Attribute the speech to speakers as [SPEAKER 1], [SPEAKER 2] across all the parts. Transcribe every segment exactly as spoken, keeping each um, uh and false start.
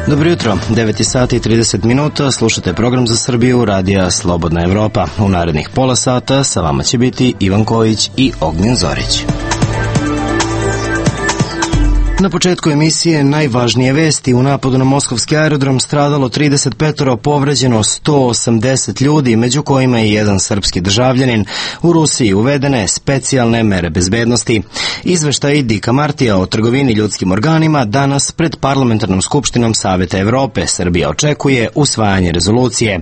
[SPEAKER 1] Dobro jutro, devet sati i trideset minuta, slušate program za Srbiju, radija Slobodna Evropa. U narednih pola sata sa vama će biti Ivan Kojić i Ognjen Zorić. Na početku emisije najvažnije vesti: u napadu na moskovski aerodrom stradalo trideset pet, povređeno sto osamdeset ljudi, među kojima je jedan srpski državljanin. U Rusiji uvedene specijalne mere bezbednosti. Izveštaj Dika Martija o trgovini ljudskim organima danas pred Parlamentarnom skupštinom Saveta Evrope. Srbija očekuje usvajanje rezolucije.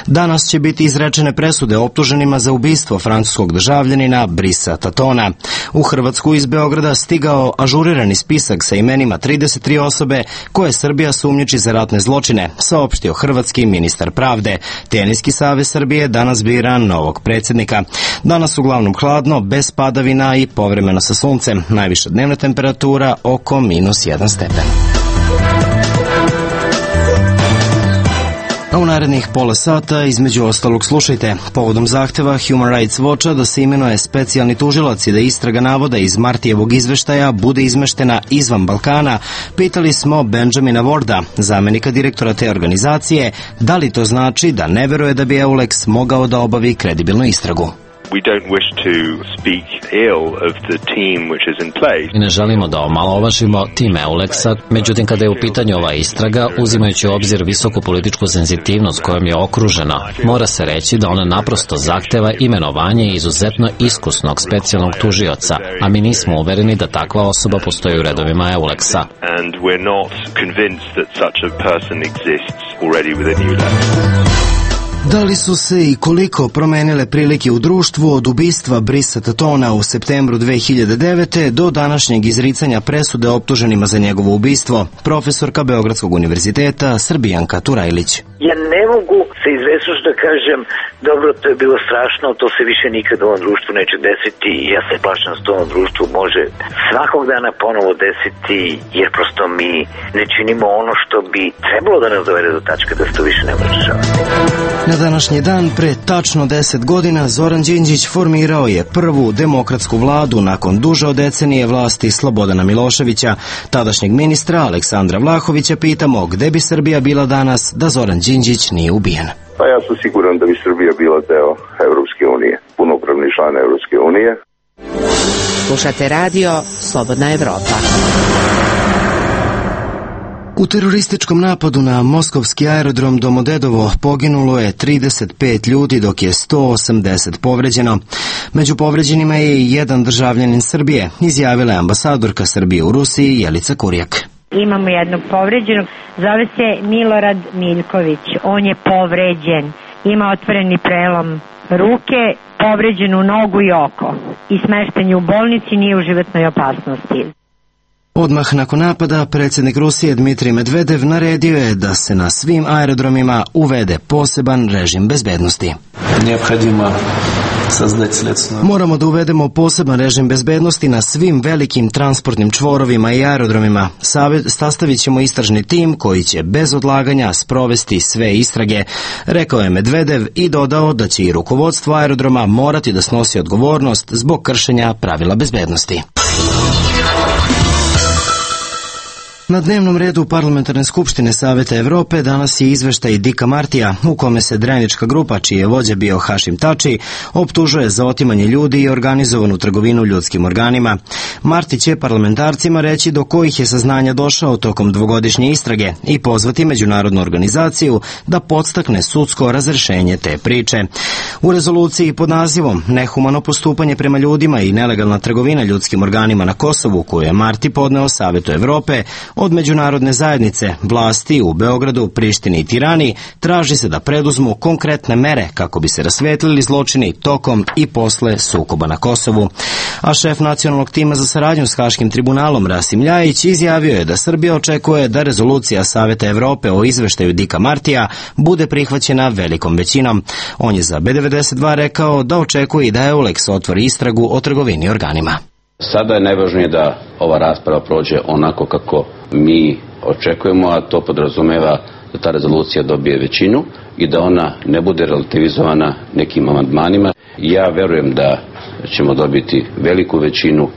[SPEAKER 1] Danas će biti izrečene presude optuženima za ubistvo francuskog državljanina Brisa Tatona. U Hrvatsku iz Beograda stigao ažurirani spisak sa imenima trideset tri osobe koje Srbija sumnjiči za ratne zločine, saopštio hrvatski ministar pravde. Teniski savez Srbije danas bira novog predsjednika. Danas uglavnom hladno, bez padavina i povremeno sa suncem. Najviša dnevna temperatura oko minus jedan stepen. A u narednih pola sata, između ostalog, slušajte: povodom zahteva Human Rights Watcha da se imenuje specijalni tužilac i da istraga navoda iz Martijevog izveštaja bude izmeštena izvan Balkana, pitali smo Benjamina Warda, zamenika direktora te organizacije, da li to znači da ne veruje da bi EULEX mogao da obavi kredibilnu istragu.
[SPEAKER 2] We don't wish to speak ill of the team which is in place.
[SPEAKER 3] I ne želimo da omalovažimo tim EULEX-a, međutim kada je u pitanju ova istraga, uzimajući u obzir visoku političku senzitivnost kojom je okružena, mora se reći da ona naprosto zahteva imenovanje izuzetno iskusnog specijalnog tužioca, a mi nismo uvereni da takva osoba postoji u redovima EULEX-a.
[SPEAKER 2] And we're not convinced that such a person exists already within EULEX.
[SPEAKER 1] Da li su se i koliko promenile prilike u društvu od ubistva Brisa Tatona u septembru dve hiljade devete. do današnjeg izricanja presude optuženima za njegovo ubistvo? Profesorka Beogradskog univerziteta Srbijanka Turajlić.
[SPEAKER 4] Ja ne mogu se izvesno da kažem, dobro, to je bilo strašno, to se više nikad u ovom društvu neće desiti i ja se plašam da se to u ovom društvu može svakog dana ponovo desiti, jer prosto mi ne činimo ono što bi trebalo da nas dovede do tačka da se to više ne može rešavati.
[SPEAKER 1] Na današnji dan, pre tačno deset godina, Zoran Đinđić formirao je prvu demokratsku vladu nakon duže od decenije vlasti Slobodana Miloševića. Tadašnjeg ministra Aleksandra Vlahovića pitamo gde bi Srbija bila danas da Zoran Đinđić nije ubijen.
[SPEAKER 5] Pa ja sam siguran da bi Srbija bila deo Evropske unije, punopravni član Evropske unije.
[SPEAKER 6] Slušate radio Slobodna Evropa.
[SPEAKER 1] U terorističkom napadu na moskovski aerodrom Domodedovo poginulo je trideset pet ljudi, dok je sto osamdeset povređeno. Među povređenima je i jedan državljanin Srbije, izjavila je ambasadorka Srbije u Rusiji Jelica Kurjak.
[SPEAKER 7] Imamo jednog povređenog, zove se Milorad Miljković, on je povređen, ima otvoreni prelom ruke, povređenu nogu i oko i smešten je u bolnici, nije u životnoj opasnosti.
[SPEAKER 1] Odmah nakon napada, predsjednik Rusije Dmitrij Medvedev naredio je da se na svim aerodromima uvede poseban režim bezbednosti. Moramo da uvedemo poseban režim bezbednosti na svim velikim transportnim čvorovima i aerodromima. Sastavit ćemo istražni tim koji će bez odlaganja sprovesti sve istrage, rekao je Medvedev i dodao da će i rukovodstvo aerodroma morati da snosi odgovornost zbog kršenja pravila bezbednosti. Na dnevnom redu Parlamentarne skupštine Saveta Evrope danas je izveštaj Dika Martija, u kome se Drenička grupa, čiji je vođa bio Hašim Tači, optužuje za otimanje ljudi i organizovanu trgovinu ljudskim organima. Marti će parlamentarcima reći do kojih je saznanja došao tokom dvogodišnje istrage i pozvati međunarodnu organizaciju da podstakne sudsko razrešenje te priče. U rezoluciji pod nazivom Nehumano postupanje prema ljudima i nelegalna trgovina ljudskim organima na Kosovu, koju je Marti podneo Savetu Evrope, od međunarodne zajednice, vlasti u Beogradu, Prištini i Tirani traži se da preduzmu konkretne mere kako bi se rasvetlili zločini tokom i posle sukoba na Kosovu. A šef nacionalnog tima za saradnju s Haškim tribunalom Rasim Ljajić izjavio je da Srbija očekuje da rezolucija Saveta Evrope o izveštaju Dika Martija bude prihvaćena velikom većinom. On je za B devedeset dva rekao da očekuje i da EULEX otvori istragu o trgovini organima.
[SPEAKER 8] Sada je najvažnije da ova rasprava prođe onako kako mi očekujemo, a to podrazumeva da ta rezolucija dobije većinu i da ona ne bude relativizovana nekim amandmanima. Ja verujem da ćemo dobiti veliku većinu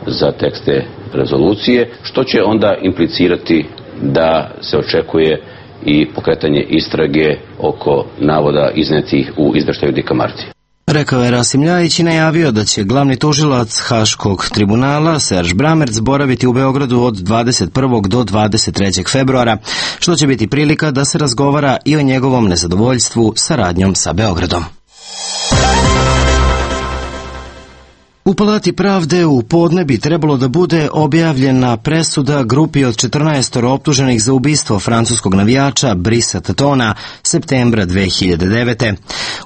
[SPEAKER 8] za tekste rezolucije, što će onda implicirati da se očekuje i pokretanje istrage oko navoda iznetih u izveštaju Dika Martija.
[SPEAKER 1] Rekao je Rasim Ljajić i najavio da će glavni tužilac Haškog tribunala Serž Bramerc boraviti u Beogradu od dvadeset prvog do dvadeset trećeg februara, što će biti prilika da se razgovara i o njegovom nezadovoljstvu saradnjom sa Beogradom. U Palati pravde u podne bi trebalo da bude objavljena presuda grupi od četrnaest optuženih za ubistvo francuskog navijača Brisa Tatona septembra dve hiljade devete.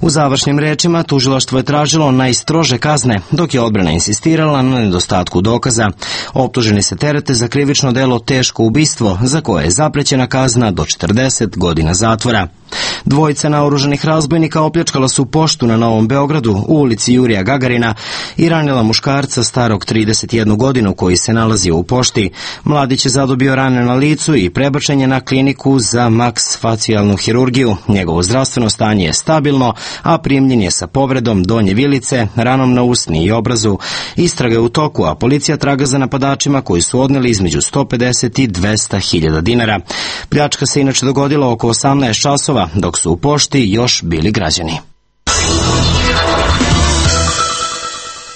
[SPEAKER 1] U završnim rečima tužilaštvo je tražilo najstrože kazne, dok je odbrana insistirala na nedostatku dokaza. Optuženi se terete za krivično delo teško ubistvo, za koje je zaprećena kazna do četrdeset godina zatvora. Dvojica naoružanih razbojnika opljačkala su poštu na Novom Beogradu u ulici Jurija Gagarina i ranila muškarca starog trideset jednu godinu koji se nalazio u pošti. Mladić je zadobio rane na licu i prebačen je na kliniku za maksfacijalnu hirurgiju. Njegovo zdravstveno stanje je stabilno, a primljen je sa povredom donje vilice, ranom na usni i obrazu. Istraga je u toku, a policija traga za napadačima koji su odneli između sto pedeset i dvesta hiljada dinara. Pljačka se inače dogodila oko osamnaest časova, dok su u pošti još bili građani.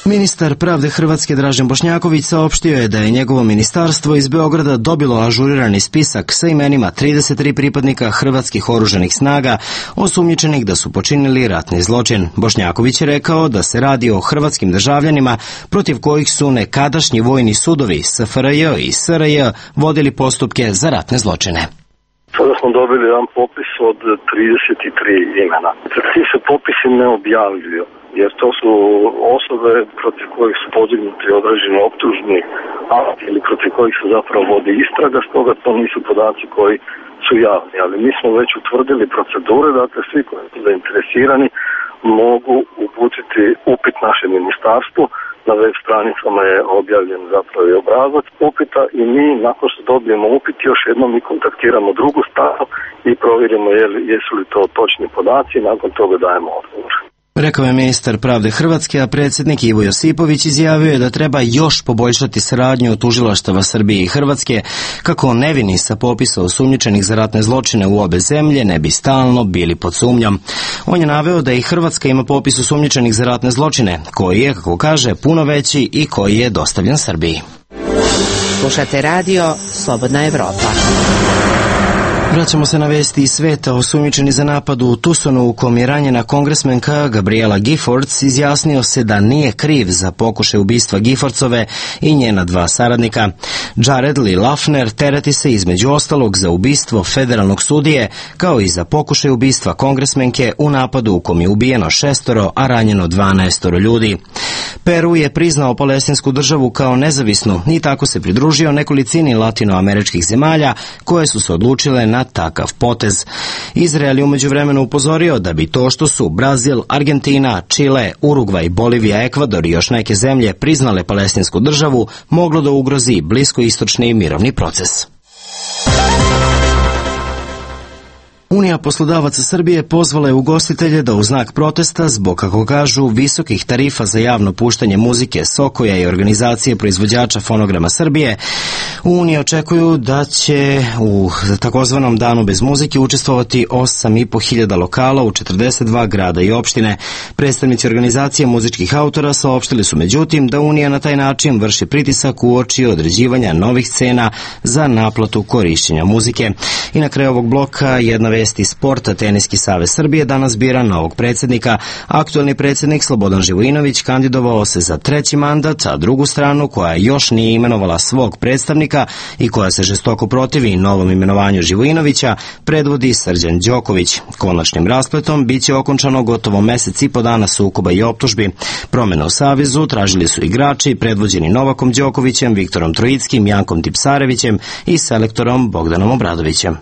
[SPEAKER 1] Ministar pravde Hrvatske Dražen Bošnjaković saopštio je da je njegovo ministarstvo iz Beograda dobilo ažurirani spisak sa imenima trideset tri pripadnika hrvatskih oružanih snaga osumnjičenih da su počinili ratni zločin. Bošnjaković je rekao da se radi o hrvatskim državljanima protiv kojih su nekadašnji vojni sudovi S F R J i S R J vodili postupke za ratne zločine.
[SPEAKER 9] Sada smo dobili jedan popis od trideset tri imena. Ti se popisi ne objavljuju, jer to su osobe protiv kojih su podignuti određeni optužni akti ili protiv kojih se zapravo vodi istraga, stoga to nisu podaci koji su javni. Ali mi smo već utvrdili procedure, dakle svi koji su zainteresirani mogu uputiti upit našem ministarstvu. Na web stranicama je objavljen zapravo i obrazac upita i mi, nakon što dobijemo upit, još jednom mi kontaktiramo drugu stranu i provjerimo je li, jesu li to točni podaci i nakon toga dajemo odgovor.
[SPEAKER 1] Rekao je ministar pravde Hrvatske, a predsjednik Ivo Josipović izjavio je da treba još poboljšati saradnju tužilaštava Srbije i Hrvatske kako nevini sa popisa osumnjičenih za ratne zločine u obe zemlje ne bi stalno bili pod sumnjom. On je naveo da i Hrvatska ima popis osumnjičenih za ratne zločine, koji je, kako kaže, puno veći i koji je dostavljen Srbiji.
[SPEAKER 6] Slušate radio Slobodna Evropa.
[SPEAKER 1] Vraćamo se na vesti iz sveta. Osumnjičeni za napad u Tucsonu u kom je ranjena kongresmenka Gabriela Giffords izjasnio se da nije kriv za pokušaj ubistva Giffordsove i njena dva saradnika. Jared Lee Lafner tereti se između ostalog za ubistvo federalnog sudije, kao i za pokušaj ubistva kongresmenke u napadu u kom je ubijeno šestoro, a ranjeno dvanaestoro ljudi. Peru je priznao palestinsku državu kao nezavisnu i tako se pridružio nekolicini latinoameričkih zemalja koje su se odlučile na takav potez. Izrael je umeđu vremenu upozorio da bi to što su Brazil, Argentina, Čile, Urugvaj, Bolivija, Ekvador i još neke zemlje priznale palestinsku državu moglo da ugrozi bliskoistočni mirovni proces. Unija poslodavaca Srbije pozvala je ugostitelje da u znak protesta zbog, kako kažu, visokih tarifa za javno puštanje muzike Sokoja i organizacije proizvođača fonograma Srbije, u Uniji očekuju da će u takozvanom danu bez muzike učestvovati osam i po hiljada lokala u četrdeset dva grada i opštine. Predstavnici organizacije muzičkih autora saopštili su međutim da Unija na taj način vrši pritisak uoči određivanja novih cena za naplatu korišćenja muzike. I na kraju ovog bloka jedna vesti sporta. Teniski savez Srbije danas bira novog predsjednika. Aktuelni predsjednik Slobodan Živojinović kandidovao se za treći mandat, a drugu stranu koja još nije imenovala svog predstavnika i koja se žestoko protivi novom imenovanju Živojinovića predvodi Srđan Đoković. Konačnim raspletom biće okončano gotovo mesec i po dana sukoba i optužbi. Promjene u savezu tražili su igrači predvođeni Novakom Đokovićem, Viktorom Trojickim, Jankom Tipsarevićem i selektorom Bogdanom Obradovićem.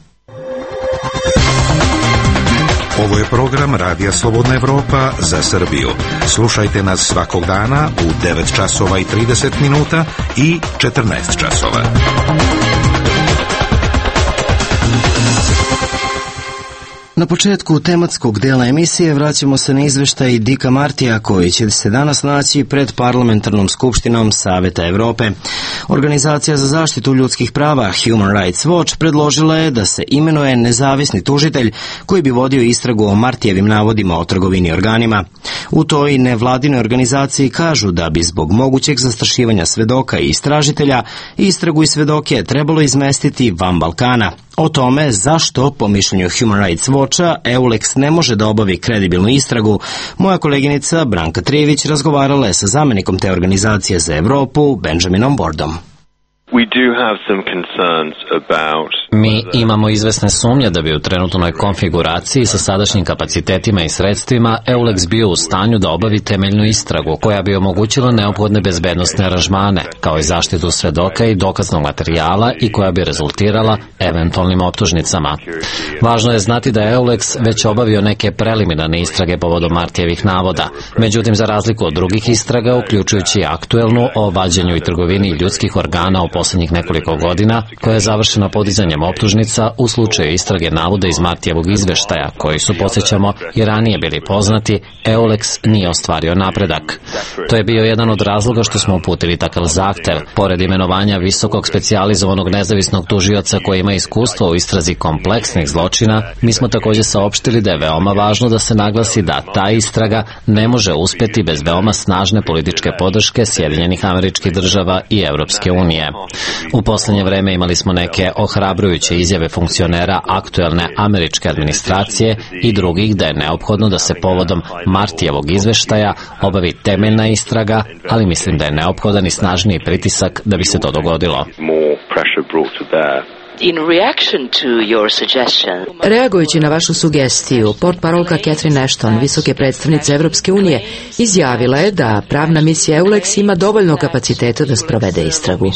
[SPEAKER 10] Ovo je program Radija Slobodna Evropa za Srbiju. Slušajte nas svakog dana u devet časova i trideset minuta i četrnaest časova.
[SPEAKER 1] Na početku tematskog dela emisije vraćamo se na izveštaj Dika Martija koji će se danas naći pred parlamentarnom skupštinom Saveta Evrope. Organizacija za zaštitu ljudskih prava Human Rights Watch predložila je da se imenuje nezavisni tužitelj koji bi vodio istragu o Martijevim navodima o trgovini organima. U toj nevladinoj organizaciji kažu da bi zbog mogućeg zastrašivanja svedoka i istražitelja istragu i svedoke trebalo izmestiti van Balkana. O tome zašto, po mišljenju Human Rights Watcha, EULEX ne može da obavi kredibilnu istragu, moja koleginica Branka Trijević razgovarala je sa zamenikom te organizacije za Evropu, Benjaminom Wardom.
[SPEAKER 3] Mi imamo izvesne sumnje da bi u trenutnoj konfiguraciji sa sadašnjim kapacitetima i sredstvima EULEX bio u stanju da obavi temeljnu istragu koja bi omogućila neophodne bezbednosne aranžmane, kao i zaštitu svedoka i dokaznog materijala i koja bi rezultirala eventualnim optužnicama. Važno je znati da je EULEX već obavio neke preliminarne istrage povodom Martijevih navoda. Međutim, za razliku od drugih istraga, uključujući aktuelnu o vađenju i trgovini ljudskih organa u poslednjih nekoliko godina, koja je završena podizanjem optužnica u slučaju istrage navoda iz Martijevog izveštaja, koji su, podsjećamo, i ranije bili poznati, EULEX nije ostvario napredak. To je bio jedan od razloga što smo uputili takav zahtev. Pored imenovanja visokog specijalizovanog nezavisnog tužioca koji ima iskustvo u istrazi kompleksnih zločina, mi smo također saopštili da je veoma važno da se naglasi da ta istraga ne može uspeti bez veoma snažne političke podrške Sjedinjenih Američkih Država i Evropske unije. U poslednje vreme imali smo neke ohrabrujuće izjave funkcionera aktuelne američke administracije i drugih da je neophodno da se povodom Martijevog izveštaja obavi temeljna istraga, ali mislim da je neophodan i snažniji pritisak da bi se to dogodilo.
[SPEAKER 6] Reagujući na vašu sugestiju, portparolka Catherine Ashton, visoke predstavnice Evropske unije, izjavila je da pravna misija EULEX ima dovoljno kapaciteta da sprovede istragu.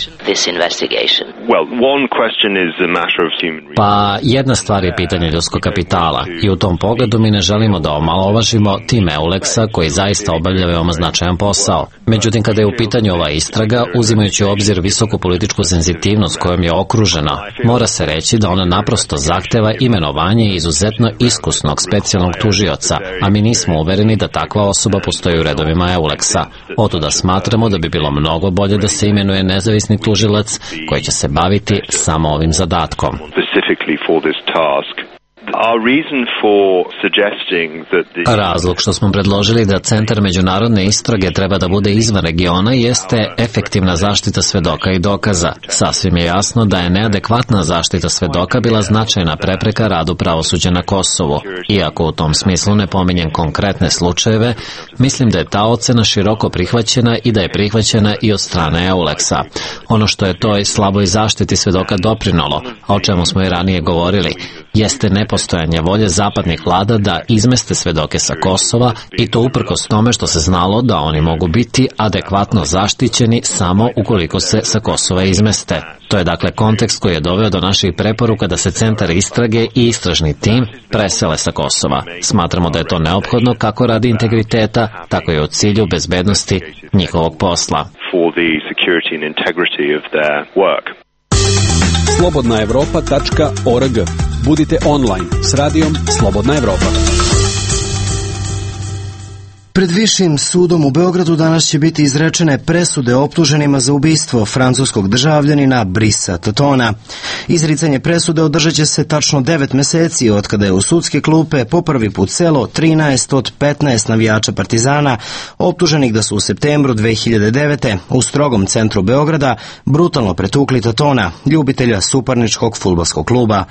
[SPEAKER 3] Pa jedna stvar je pitanje ljudskog kapitala i u tom pogledu mi ne želimo da omalovažimo tim EULEX-a koji zaista obavlja veoma značajan posao. Međutim, kada je u pitanju ova istraga, uzimajući u obzir visoku političku senzitivnost kojom je okružena, mora se reći da ona naprosto zahteva imenovanje izuzetno iskusnog specijalnog tužioca, a mi nismo uvereni da takva osoba postoji u redovima EULEX-a. Otuda smatramo da bi bilo mnogo bolje da se imenuje nezavisni tužilac koji će se baviti samo ovim zadatkom. Razlog što smo predložili da Centar međunarodne istrage treba da bude izvan regiona jeste efektivna zaštita svedoka i dokaza. Sasvim je jasno da je neadekvatna zaštita svedoka bila značajna prepreka radu pravosuđa na Kosovu. Iako u tom smislu ne pominjem konkretne slučajeve, mislim da je ta ocena široko prihvaćena i da je prihvaćena i od strane EULEX-a. Ono što je toj slaboj zaštiti svedoka doprinolo, a o čemu smo i ranije govorili, jeste nepostojanje volje zapadnih vlada da izmeste svedoke sa Kosova i to uprkos tome što se znalo da oni mogu biti adekvatno zaštićeni samo ukoliko se sa Kosova izmeste. To je dakle kontekst koji je doveo do naših preporuka da se centar istrage i istražni tim presele sa Kosova. Smatramo da je to neophodno kako radi integriteta, tako i u cilju bezbednosti njihovog posla.
[SPEAKER 11] slobodna evropa tačka org. Budite online s radijom Slobodna Evropa.
[SPEAKER 1] Pred Višim sudom u Beogradu danas će biti izrečene presude optuženima za ubistvo francuskog državljanina Brisa Tatona. Izricanje presude održat će se tačno devet meseci od kada je u sudske klupe po prvi put selo trinaest od petnaest navijača Partizana optuženih da su u septembru dve hiljade devete. u strogom centru Beograda brutalno pretukli Tatona, ljubitelja suparničkog fudbalskog kluba.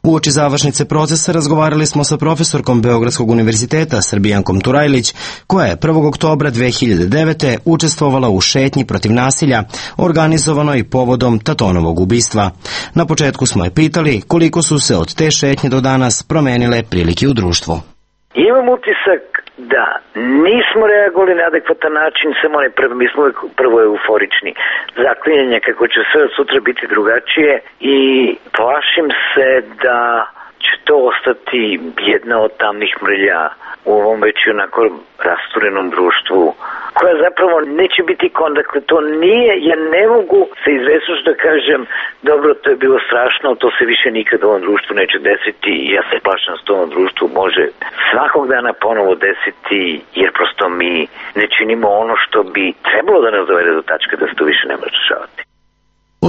[SPEAKER 1] Uoči završnice procesa razgovarali smo sa profesorkom Beogradskog univerziteta Srbijankom Turajlić, koja je prvog oktobra dve hiljade devete. učestvovala u šetnji protiv nasilja, organizovanoj povodom Tatonovog ubistva. Na početku smo je pitali koliko su se od te šetnje do danas promenile prilike u društvu.
[SPEAKER 4] Imam utisak da nismo reagovali na adekvatan način, samo ne prvo, mi smo prvo euforični. Zaklinjanje kako će sve od sutra biti drugačije i plašim se da će to ostati jedna od tamnih mrlja u ovom već onako rasturenom društvu, koja zapravo neće biti kon, dakle to nije, ja ne mogu se izvesnoš da kažem, dobro, to je bilo strašno, to se više nikad u ovom društvu neće desiti i ja se plašam da se u ovom društvu može svakog dana ponovo desiti, jer prosto mi ne činimo ono što bi trebalo da nas dovede do tačke da se to više ne može rešavati.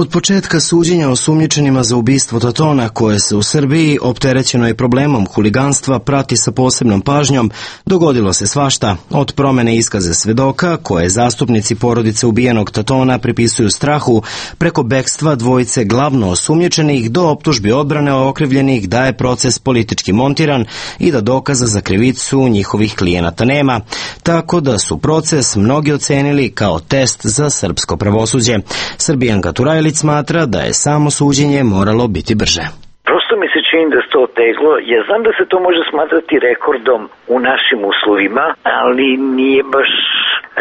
[SPEAKER 1] Od početka suđenja osumnjičenima za ubistvo Tatona, koje se u Srbiji, opterećeno je problemom huliganstva, prati sa posebnom pažnjom, dogodilo se svašta, od promene iskaze svedoka, koje zastupnici porodice ubijenog Tatona pripisuju strahu, preko bekstva dvojice glavno osumnjičenih do optužbi odbrane okrivljenih da je proces politički montiran i da dokaza za krivicu njihovih klijenata nema, tako da su proces mnogi ocenili kao test za srpsko pravosuđe. Srbijanka Turajlić smatra da je samo suđenje moralo biti brže.
[SPEAKER 4] Prosto mi se čini da se to oteglo. Ja znam da se to može smatrati rekordom u našim uslovima, ali nije baš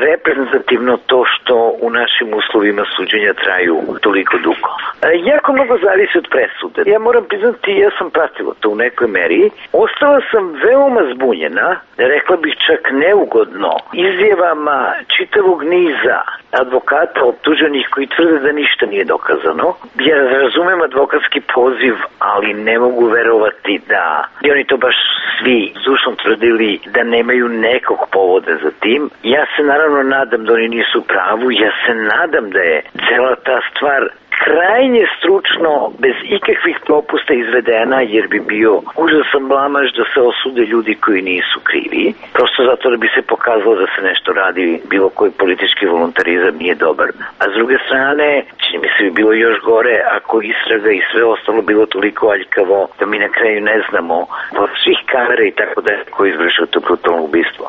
[SPEAKER 4] reprezentativno to što u našim uslovima suđenja traju toliko dugo. E, jako mnogo zavisi od presude. Ja moram priznati, ja sam pratila to u nekoj meri. Ostala sam veoma zbunjena, rekla bih čak neugodno, izjavama čitavog niza advokata optuženih koji tvrde da ništa nije dokazano. Ja razumem advokatski poziv, ali ne mogu verovati da bi oni to baš svi zdušno tvrdili da nemaju nekog povoda za tim. Ja se naravno nadam da oni nisu u pravu, ja se nadam da je cela ta stvar krajnje stručno, bez ikakvih propusta izvedena, jer bi bio užasan blamaž da se osude ljudi koji nisu krivi. Prosto zato da bi se pokazalo da se nešto radi, bilo koji politički voluntarizam nije dobar. A s druge strane, čini mi se bi bilo još gore ako istraga i sve ostalo bilo toliko aljkavo da mi na kraju ne znamo od svih kamera i tako da ko izvršio to brutalno ubistvo.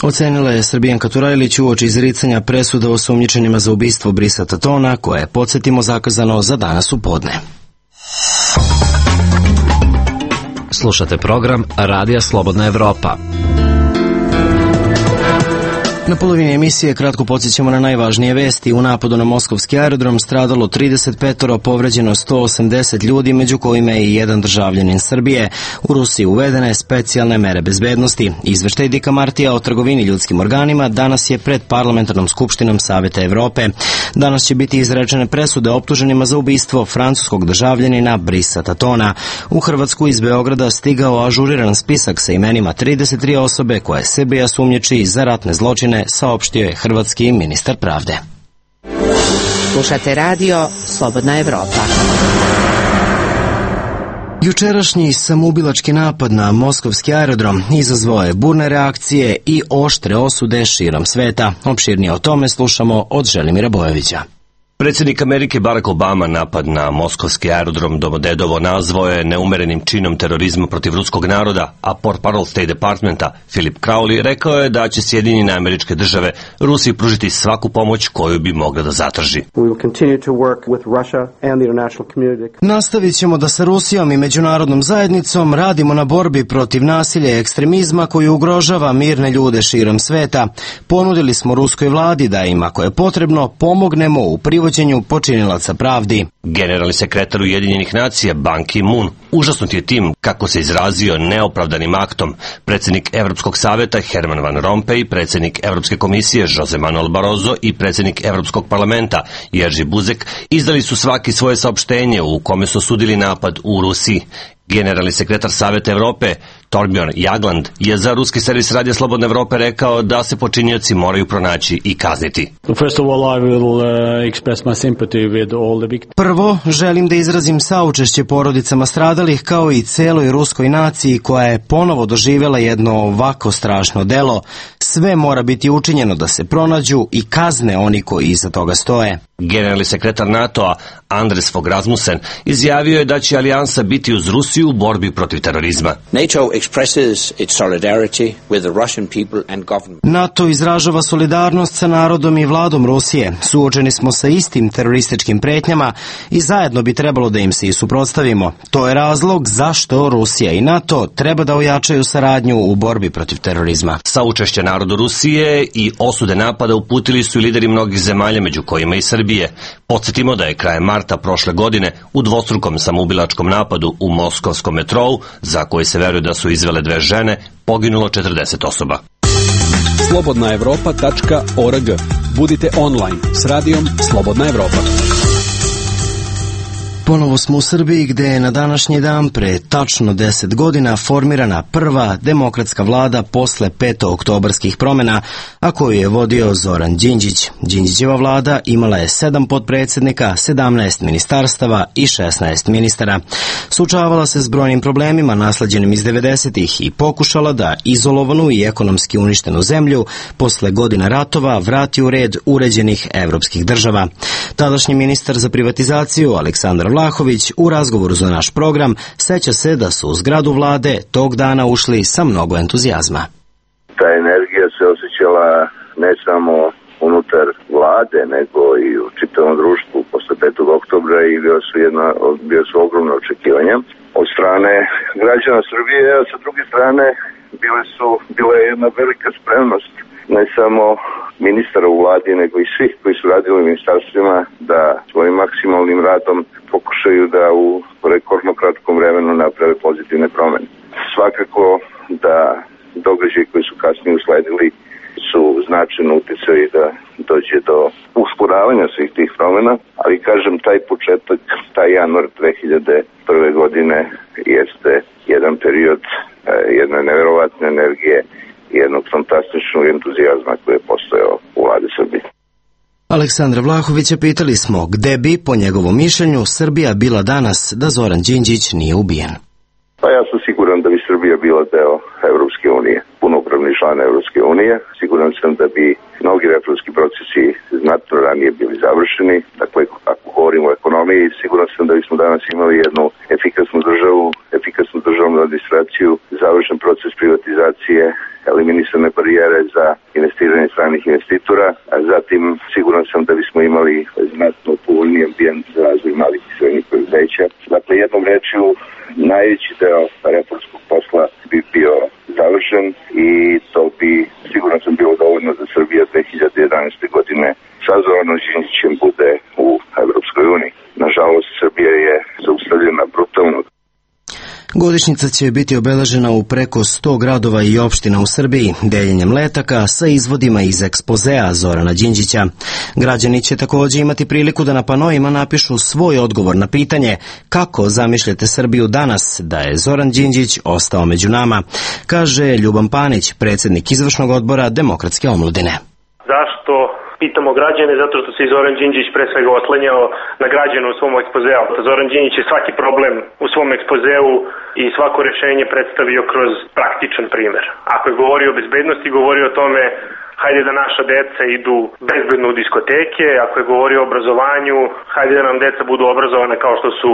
[SPEAKER 1] Ocenila je Srbijanka Turajlić uoči izricanja presuda osumnjičenima za ubistvo Brisa Tatona, koje je, podsjetimo, zakazano za danas u podne.
[SPEAKER 3] Slušate program Radija Slobodna Evropa.
[SPEAKER 1] Na polovini emisije kratko podsjećamo na najvažnije vesti. U napadu na moskovski aerodrom stradalo trideset pet, povređeno sto osamdeset ljudi, među kojima je i jedan državljanin Srbije. U Rusiji uvedene specijalne mere bezbednosti. Izveštaj Dika Martija o trgovini ljudskim organima danas je pred parlamentarnom skupštinom Saveta Evrope. Danas će biti izrečene presude optuženima za ubistvo francuskog državljanina Brisa Tatona. U Hrvatsku iz Beograda stigao ažuriran spisak sa imenima trideset tri osobe koje Srbija sumnjiči za ratne zločine, saopštio je hrvatski ministar pravde.
[SPEAKER 6] Slušate radio Slobodna Evropa.
[SPEAKER 1] Jučerašnji samoubilački napad na moskovski aerodrom izazvao je burne reakcije i oštre osude širom sveta. Opširnije o tome slušamo od Želimira Bojovića.
[SPEAKER 12] Predsjednik Amerike Barack Obama napad na moskovski aerodrom Domodedovo nazvao je neumerenim činom terorizma protiv ruskog naroda, a portparol State Departmenta Philip Crowley rekao je da će Sjedinjene Američke Države Rusiji pružiti svaku pomoć koju bi mogla da zatraži.
[SPEAKER 1] Nastavit ćemo da sa Rusijom i međunarodnom zajednicom radimo na borbi protiv nasilja i ekstremizma koji ugrožava mirne ljude širom sveta. Ponudili smo ruskoj vladi da im, ako je potrebno, pomognemo u privođenju počinilaca pravdi.
[SPEAKER 12] Generalni sekretar Ujedinjenih nacija Ban Ki-moon užasnut je tim, kako se izrazio, neopravdanim aktom. Predsjednik Evropskog saveta Herman Van Rompuy, predsjednik Evropske komisije Jose Manuel Barroso i predsjednik Evropskog parlamenta Jerzy Buzek izdali su svaki svoje saopštenje u kome su osudili napad u Rusiji. Generalni sekretar Saveta Evrope Torbjorn Jagland je za ruski servis Radija Slobodna Evropa rekao da se počinioci moraju pronaći i kazniti.
[SPEAKER 1] Prvo, želim da izrazim saučešće porodicama stradalih kao i celoj ruskoj naciji koja je ponovo doživjela jedno ovako strašno delo. Sve mora biti učinjeno da se pronađu i kazne oni koji iza toga stoje.
[SPEAKER 12] Generalni sekretar NATO-a Andres Fogh Rasmussen izjavio je da će alijansa biti uz Rusiju u borbi protiv terorizma.
[SPEAKER 13] NATO expresses its solidarity with the Russian people and government.
[SPEAKER 1] NATO izražava solidarnost sa narodom i vladom Rusije. Suočeni smo sa istim terorističkim pretnjama i zajedno bi trebalo da im se i suprotstavimo. To je razlog zašto Rusija i NATO treba da ojačaju saradnju u borbi protiv terorizma.
[SPEAKER 12] Saučešće narodu Rusije i osude napada uputili su i lideri mnogih zemalja, među kojima i Srbije. Podsjetimo da je krajem marta prošle godine u dvostrukom samoubilačkom napadu u moskovskom metrou, za koji se veruje da su izvele dve žene, poginulo četrdeset osoba.
[SPEAKER 11] slobodna evropa tačka org. Budite online s radijom Slobodna Evropa.
[SPEAKER 1] Ponovo smo u Srbiji gde je na današnji dan pre tačno deset godina formirana prva demokratska vlada posle petooktobarskih promena, a koju je vodio Zoran Đinđić. Đinđićeva vlada imala je sedam potpredsednika, sedamnaest ministarstava i šesnaest ministara. Suočavala se s brojnim problemima nasleđenim iz devedesetih i pokušala da izolovanu i ekonomski uništenu zemlju posle godina ratova vrati u red uređenih evropskih država. Tadašnji ministar za privatizaciju Aleksandar Vlahović u razgovoru za naš program seća se da su u zgradu vlade tog dana ušli sa mnogo entuzijazma.
[SPEAKER 5] Ta energija se osjećala ne samo unutar vlade, nego i u čitavom društvu posle petog oktobra i bio su, jedna, bio su ogromne očekivanja od strane građana Srbije, a sa druge strane bile su, bila je jedna velika spremnost ne samo ministara u vladi, nego i svih koji su radili u ministarstvima da svojim maksimalnim radom pokušaju da u rekordno kratkom vremenu naprave pozitivne promene. Svakako da događaji koji su kasnije usledili su značajno uticali da dođe do usporavanja svih tih promena, ali kažem, taj početak, taj januar dve hiljade prve godine jeste jedan period jedne neverovatne energije i jednog fantastičnog entuzijazma koji je postojao u vladi Srbije.
[SPEAKER 1] Aleksandra Vlahovića pitali smo gde bi, po njegovom mišljenju, Srbija bila danas da Zoran Đinđić nije ubijen.
[SPEAKER 5] Pa ja sam siguran da bi Srbija bila deo Evropske unije, punopravni član Evropske unije. Siguran sam da bi mnogi reformski procesi znatno ranije bili završeni. Dakle, ako govorimo o ekonomiji, siguran sam da bismo danas imali jednu efikasnu državu, efikasnu državnu administraciju, završen proces privatizacije, eliminisane barijere za investiranje stranih investitora, a zatim siguran sam da bismo imali znatno povoljniji ambijent za razvoj malih i srednjih preduzeća. Dakle, jednom rečju, najveći deo reformskog posla bi bio završen i to bi, siguran sam, bilo dovoljno da Srbija dve hiljade jedanaeste. godine sa Zoranom Đinđićem bude u Evropskoj uniji. Nažalost, Srbija je zaustavljena brutalno.
[SPEAKER 1] Godišnjica će biti obeležena u preko sto gradova i opština u Srbiji, deljenjem letaka sa izvodima iz ekspozea Zorana Đinđića. Građani će takođe imati priliku da na panoima napišu svoj odgovor na pitanje kako zamišljate Srbiju danas da je Zoran Đinđić ostao među nama, kaže Ljuban Panić, predsednik izvršnog odbora Demokratske omladine.
[SPEAKER 14] Zašto pitamo građane? Zato što se i Zoran Đinđić pre svega oslanjao na građane u svom ekspozeu. Zoran Đinđić je svaki problem u svom ekspozeu i svako rešenje predstavio kroz praktičan primer. Ako je govorio o bezbednosti, govorio o tome hajde da naša deca idu bezbedno u diskoteke, ako je govorio o obrazovanju, hajde da nam deca budu obrazovane kao što su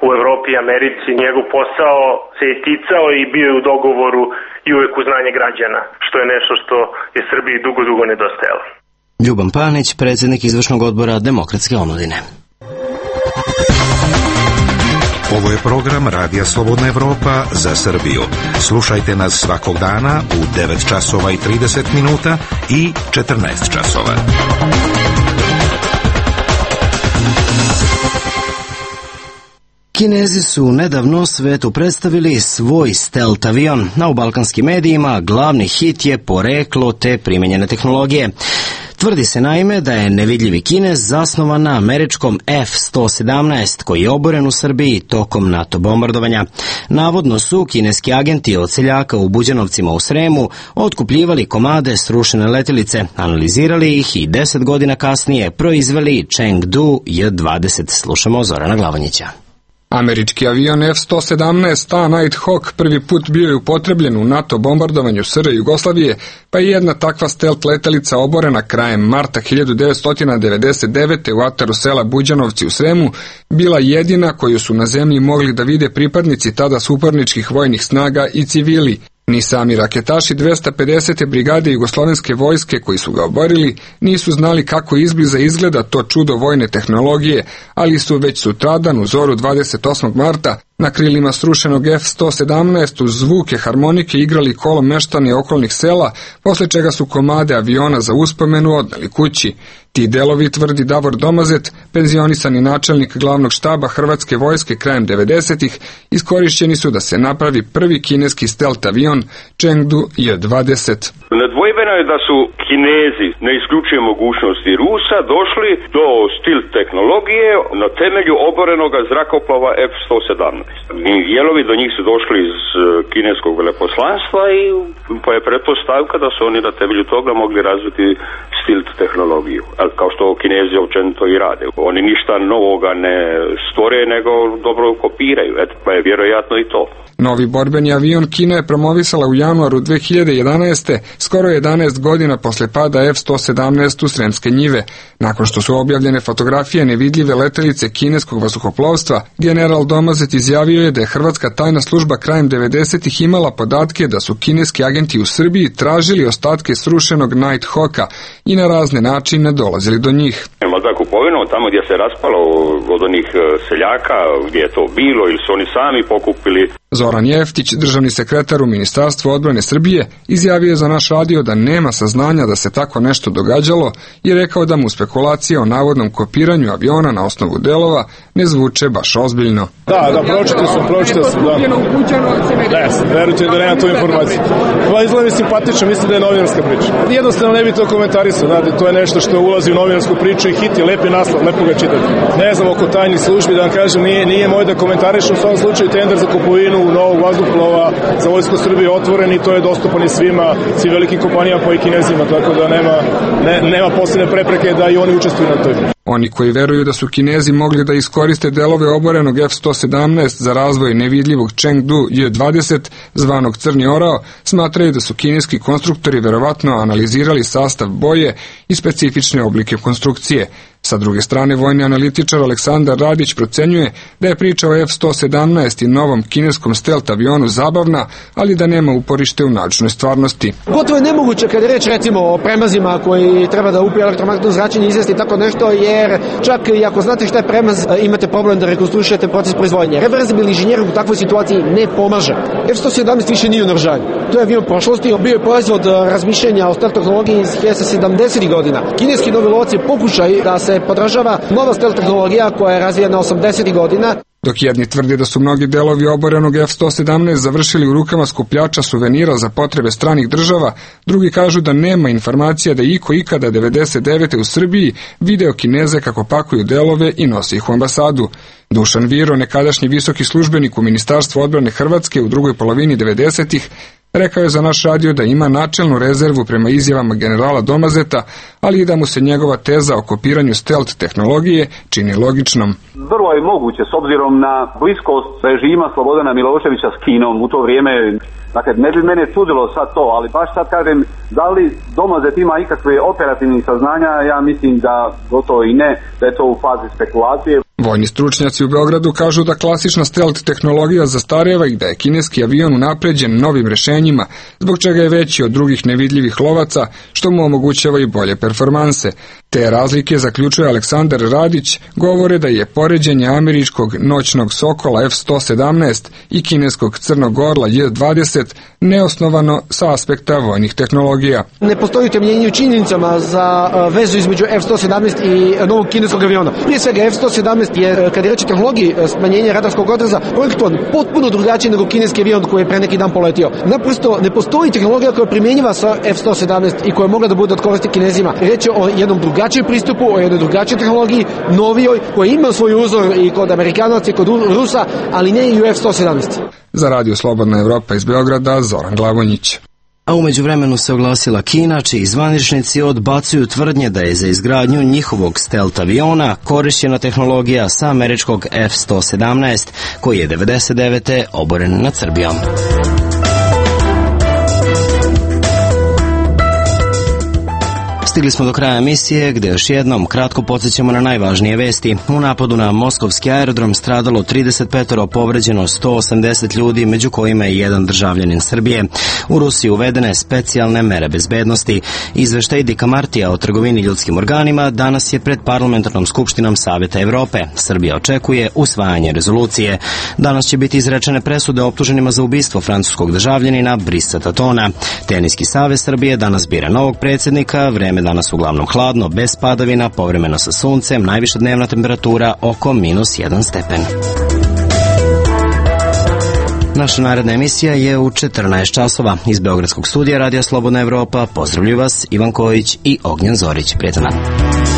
[SPEAKER 14] u Evropi i Americi. Njegov posao se je ticao i bio je u dogovoru i uvek uz znanje građana, što je nešto što je Srbiji dugo, dugo nedostajalo.
[SPEAKER 1] Ljuban Panić, predsednik izvršnog odbora Demokratske omladine.
[SPEAKER 10] Ovo je program Radija Slobodna Evropa za Srbiju. Slušajte nas svakog dana u devet časova i trideset minuta i četrnaest časova.
[SPEAKER 1] Kinezi su nedavno svetu predstavili svoj stealth avion. Na u balkanskim medijima glavni hit je poreklo te primenjene tehnologije. Tvrdi se naime da je nevidljivi Kinez zasnovan na američkom F sto sedamnaest koji je oboren u Srbiji tokom NATO bombardovanja. Navodno su kineski agenti od seljaka u Buđanovcima u Sremu otkupljivali komade srušene letelice, analizirali ih i deset godina kasnije proizveli Chengdu J dvadeset. Slušamo Zorana Glavanjića.
[SPEAKER 15] Američki avion F sto sedamnaest A Nighthawk prvi put bio je upotrebljen u NATO bombardovanju S R Jugoslavije, pa je jedna takva stealth letelica oborena krajem marta hiljadu devetsto devedeset devete. u ataru sela Buđanovci u Sremu bila jedina koju su na zemlji mogli da vide pripadnici tada suparničkih vojnih snaga i civili. Ni sami raketaši dvesta pedesete brigade jugoslovenske vojske koji su ga oborili nisu znali kako izbliza izgleda to čudo vojne tehnologije, ali su već sutradan u zoru dvadeset osmog marta na krilima srušenog F sto sedamnaest uz zvuke harmonike igrali kolom meštani okolnih sela, posle čega su komade aviona za uspomenu odneli kući. Ti delovi, tvrdi Davor Domazet, penzionisani načelnik glavnog štaba Hrvatske vojske krajem devedesetih, iskorišćeni su da se napravi prvi kineski stealth avion Chengdu J dvadeset.
[SPEAKER 16] Nedvojbeno je da su Kinezi ne isključuje mogućnosti Rusa, došli do stil tehnologije na temelju oborenoga zrakoplova F sto sedamnaest. Dijelovi do njih su došli iz kineskog veleposlanstva i pa je pretpostavka da su oni na temelju toga mogli razviti stil tehnologiju. Kao što Kinezi općenito i rade. Oni ništa novoga ne stvore, nego dobro kopiraju. Eto, pa je vjerojatno i to.
[SPEAKER 15] Novi borbeni avion Kina je promovisala u januaru dve hiljade jedanaeste, skoro jedanaest godina posle pada F sto sedamnaest u Sremske njive. Nakon što su objavljene fotografije nevidljive letelice kineskog vazduhoplovstva, general Domazet izjavio je da je hrvatska tajna služba krajem devedesetih imala podatke da su kineski agenti u Srbiji tražili ostatke srušenog Nighthawka i na razne načine dolazili do njih.
[SPEAKER 16] Možda kupovinu tamo gdje se raspalo od onih seljaka, gdje je to bilo ili su oni sami pokupili.
[SPEAKER 15] Zoran Jeftić, državni sekretar u Ministarstvu odbrane Srbije, izjavio je za naš radio da nema saznanja da se tako nešto događalo i rekao da mu spekulacije o navodnom kopiranju aviona na osnovu delova ne zvuče baš ozbiljno.
[SPEAKER 17] Da, da, pročitao sam, pročitao sam, da. Ne, verujte da nema tu informaciju. Ova izgleda mi simpatično, mislim da je novinarska priča. Jednostavno ne bi to komentarisao, znate, to je nešto što ulazi u novinarsku priču i hit je lepi naslov, lepo ga čitati. Ne znam oko tajnih službi, da vam kažem, nije, nije moj da komentarišem u svom slučaju tender za kupovinu novog vazduhoplova za Vojsku Srbije otvoren i to je dostupan i svima, svi velikim kompanijama pa i Kinezima, tako da nema, ne, nema posebne prepreke da i oni učestvuju na toj.
[SPEAKER 15] Oni koji veruju da su Kinezi mogli da iskoriste delove oborenog F sto sedamnaest za razvoj nevidljivog Chengdu J dvadeset, zvanog Crni orao, smatraju da su kineski konstruktori verovatno analizirali sastav boje i specifične oblike konstrukcije. Sa druge strane, vojni analitičar Aleksandar Radić procenjuje da je priča o F sto sedamnaest i novom kineskom stealth avionu zabavna, ali da nema uporište u naučnoj stvarnosti.
[SPEAKER 18] Gotovo je nemoguće kada je reč recimo o premazima koji treba da upiju elektromagnetno zračenje i izvesti tako nešto, jer čak i ako znate šta je premaz, imate problem da rekonstruišete proces proizvodnje. Reverzibilni inženjer u takvoj situaciji ne pomaže. F sto sedamnaest više nije u naoružanju. To je avion prošlosti, bio je proizvod razmišljanja o stealth tehnologiji iz sedamdesetih godina. Kineski novi lovac je pokušaj da se podražava nova stealth tehnologija koja je razvijena osamdesetih godina.
[SPEAKER 15] Dok jedni tvrde da su mnogi delovi oborenog F sto sedamnaest završili u rukama skupljača suvenira za potrebe stranih država, drugi kažu da nema informacija da iko ikada devedeset devete u Srbiji video Kineze kako pakuju delove i nosi ih u ambasadu. Dušan Viro, nekadašnji visoki službenik u Ministarstvu odbrane Hrvatske u drugoj polovini devedesetih, rekao je za naš radio da ima načelnu rezervu prema izjavama generala Domazeta, ali i da mu se njegova teza o kopiranju stealth tehnologije čini logičnom.
[SPEAKER 19] Vrlo je moguće, s obzirom na bliskost režima Slobodana Miloševića s Kinom u to vrijeme. Dakle, ne bi mene čudilo sad to, ali baš sad kažem, da li Domazet ima ikakve operativnih saznanja, ja mislim da gotovo i ne, da je to u fazi spekulacije.
[SPEAKER 15] Vojni stručnjaci u Beogradu kažu da klasična stealth tehnologija zastareva i da je kineski avion unapređen novim rešenjima, zbog čega je veći od drugih nevidljivih lovaca, što mu omogućava i bolje performanse. Te razlike, zaključuje Aleksandar Radić, govore da je poređenje američkog noćnog Sokola F sto sedamnaest i kineskog Crnog orla J dvadeset neosnovano sa aspekta vojnih tehnologija.
[SPEAKER 18] Ne postoji utemeljenje u činjenicama za vezu između F sto sedamnaest i novog kineskog aviona. Prije svega F sto sedamnaest je, kad je reč o tehnologiji smanjenja radarskog odraza, projektovan potpuno drugačije nego kineski avion koji je pre neki dan poletio. Naprosto ne postoji tehnologija koja je primjenjiva sa F sto sedamnaest i koja mogla da bude od koristi Kinezima. Reč je o jednom drugačijem pristupu, o jednoj drugačijoj tehnologiji, novijoj, koja ima svoj uzor i kod Amerikanaca i kod Rusa, ali ne i u F sto sedamnaest.
[SPEAKER 15] Za Radio Slobodna Evropa iz Beograda, Zoran Glavonjić.
[SPEAKER 1] A umeđu vremenu se oglasila Kina, čiji zvaničnici odbacuju tvrdnje da je za izgradnju njihovog stealth aviona korišćena tehnologija sa američkog F sto sedamnaest, koji je devedeset devete oboren nad Srbijom. Stigli smo do kraja emisije, gde još jednom kratko podsjećamo na najvažnije vesti. U napadu na moskovski aerodrom stradalo trideset pet, povređeno sto osamdeset ljudi, među kojima je jedan državljanin Srbije. U Rusiji uvedene specijalne mere bezbednosti. Izveštaj Dika Martija o trgovini ljudskim organima danas je pred parlamentarnom skupštinom Saveta Evrope. Srbija očekuje usvajanje rezolucije. Danas će biti izrečene presude optuženima za ubistvo francuskog državljanina Brisa Tatona. Teniski savez Srbije danas bira novog predsjednika, vreme danas uglavnom hladno, bez padavina, povremeno sa suncem, najviša dnevna temperatura oko minus jedan stepen. Naša naredna emisija je u četrnaest časova. Iz Beogradskog studija Radija Slobodna Evropa pozdravljuju vas Ivan Kojić i Ognjen Zorić. Prijetan dan.